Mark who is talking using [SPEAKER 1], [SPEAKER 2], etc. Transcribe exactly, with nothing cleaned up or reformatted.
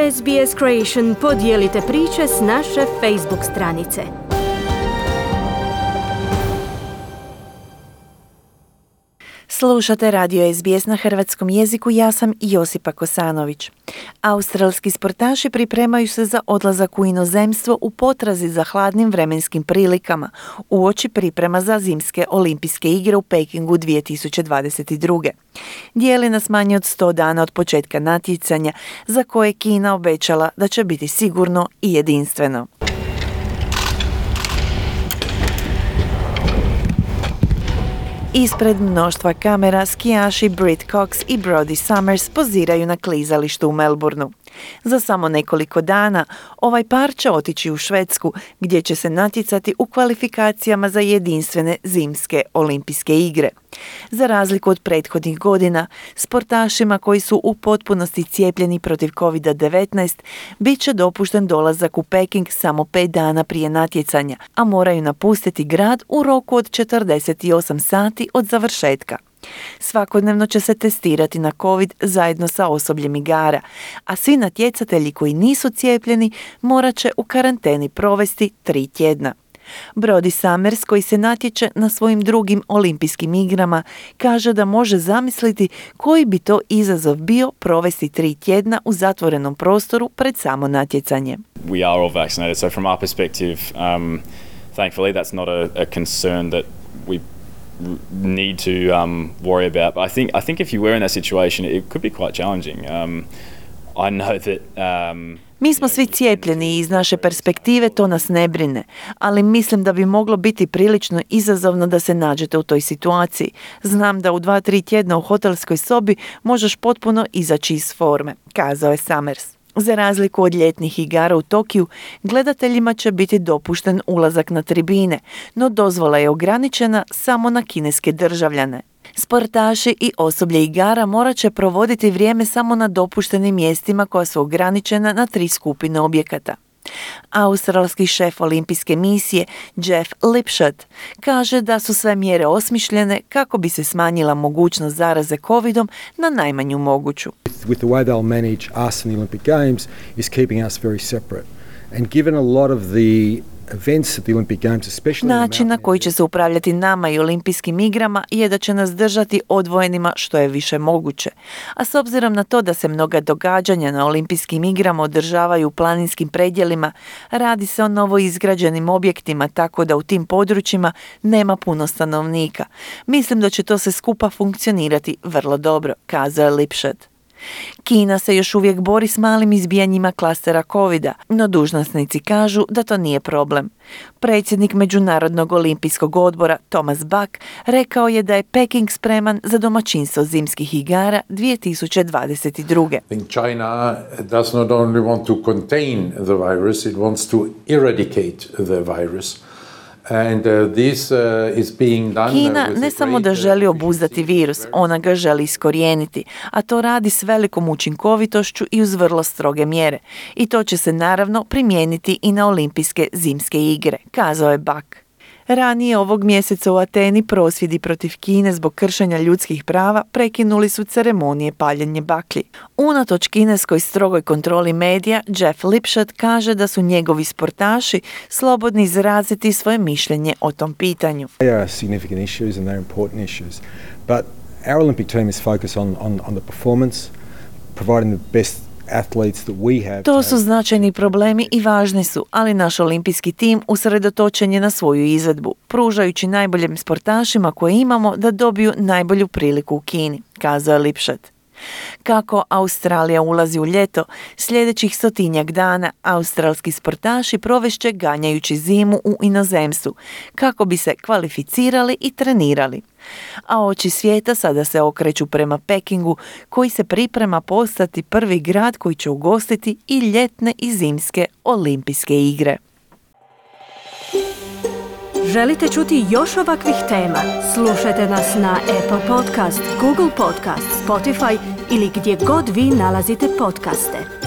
[SPEAKER 1] S B S Creation podijelite priče s naše Facebook stranice.
[SPEAKER 2] Slušate radio S B S na hrvatskom jeziku, ja sam Josipa Kosanović. Australski sportaši pripremaju se za odlazak u inozemstvo u potrazi za hladnim vremenskim prilikama uoči priprema za zimske olimpijske igre u Pekingu dvije tisuće dvadeset druge. Dijeli nas manje od sto dana od početka natjecanja za koje je Kina obećala da će biti sigurno i jedinstveno. Ispred mnoštva kamera skijaši Britt Cox i Brody Summers poziraju na klizalištu u Melbourneu. Za samo nekoliko dana ovaj par će otići u Švedsku gdje će se natjecati u kvalifikacijama za jedinstvene zimske olimpijske igre. Za razliku od prethodnih godina, sportašima koji su u potpunosti cijepljeni protiv covid devetnaest bit će dopušten dolazak u Peking samo pet dana prije natjecanja, a moraju napustiti grad u roku od četrdeset osam sati od završetka. Svakodnevno će se testirati na COVID zajedno sa osobljem igara, a svi natjecatelji koji nisu cijepljeni morat će u karanteni provesti tri tjedna. Brody Summers, koji se natječe na svojim drugim olimpijskim igrama, kaže da može zamisliti koji bi to izazov bio provesti tri tjedna u zatvorenom prostoru pred samo natjecanje.
[SPEAKER 3] We are all vaccinated, so from our perspective, um, thankfully that's not a, a concern that we need to um, worry about. But I think I think if you were in that situation, it could be quite challenging. Um, I know that. Um,
[SPEAKER 2] Mi smo svi cijepljeni i iz naše perspektive to nas ne brine, ali mislim da bi moglo biti prilično izazovno da se nađete u toj situaciji. Znam da u dva, tri tjedna u hotelskoj sobi možeš potpuno izaći iz forme, kazao je Summers. Za razliku od ljetnih igara u Tokiju, gledateljima će biti dopušten ulazak na tribine, no dozvola je ograničena samo na kineske državljane. Sportaši i osoblje igara morat će provoditi vrijeme samo na dopuštenim mjestima koja su ograničena na tri skupine objekata. Australski šef olimpijske misije Jeff Lipshut kaže da su sve mjere osmišljene kako bi se smanjila mogućnost zaraze covidom na najmanju moguću.
[SPEAKER 4] With the way they'll manage us in the Olympic Games is keeping us very separate. And given a lot of the events at the Olympic Games, especially
[SPEAKER 2] način na koji će se upravljati nama i olimpijskim igrama je da će nas držati odvojenima što je više moguće. A s obzirom na to da se mnoga događanja na olimpijskim igrama održavaju u planinskim predjelima, radi se o novoizgrađenim objektima, tako da u tim područjima nema puno stanovnika. Mislim da će to se skupa funkcionirati vrlo dobro, kazao je Lipshut. Kina se još uvijek bori s malim izbijanjima klastera covida, no dužnosnici kažu da to nije problem. Predsjednik Međunarodnog olimpijskog odbora Thomas Bach rekao je da je Peking spreman za domaćinstvo zimskih igara dvije tisuće dvadeset druge.
[SPEAKER 5] I think China does not only want to contain the virus, it wants to eradicate the virus. And, uh, this, uh, is being done
[SPEAKER 2] Kina
[SPEAKER 5] with
[SPEAKER 2] ne samo da želi obuzdati virus, ona ga želi iskorijeniti, a to radi s velikom učinkovitošću i uz vrlo stroge mjere. I to će se naravno primijeniti i na olimpijske zimske igre, kazao je Bach. Ranije ovog mjeseca u Ateni prosvjedi protiv Kine zbog kršenja ljudskih prava prekinuli su ceremonije paljenja baklji. Unatoč kineskoj strogoj kontroli medija, Jeff Lipshut kaže da su njegovi sportaši slobodni izraziti svoje mišljenje o tom pitanju.
[SPEAKER 4] They are significant issues and they're important issues. But our Olympic team is focused on, on, on the performance, providing the best.
[SPEAKER 2] To su značajni problemi i važni su, ali naš olimpijski tim usredotočen je na svoju izvedbu, pružajući najboljim sportašima koje imamo da dobiju najbolju priliku u Kini, kazao je Lipshut. Kako Australija ulazi u ljeto, sljedećih stotinjak dana australski sportaši provešće ganjajući zimu u inozemstvu, kako bi se kvalificirali i trenirali. A oči svijeta sada se okreću prema Pekingu, koji se priprema postati prvi grad koji će ugostiti i ljetne i zimske olimpijske igre.
[SPEAKER 1] Želite čuti još ovakvih tema? Slušajte nas na Apple Podcast, Google Podcast, Spotify ili gdje god vi nalazite podcaste.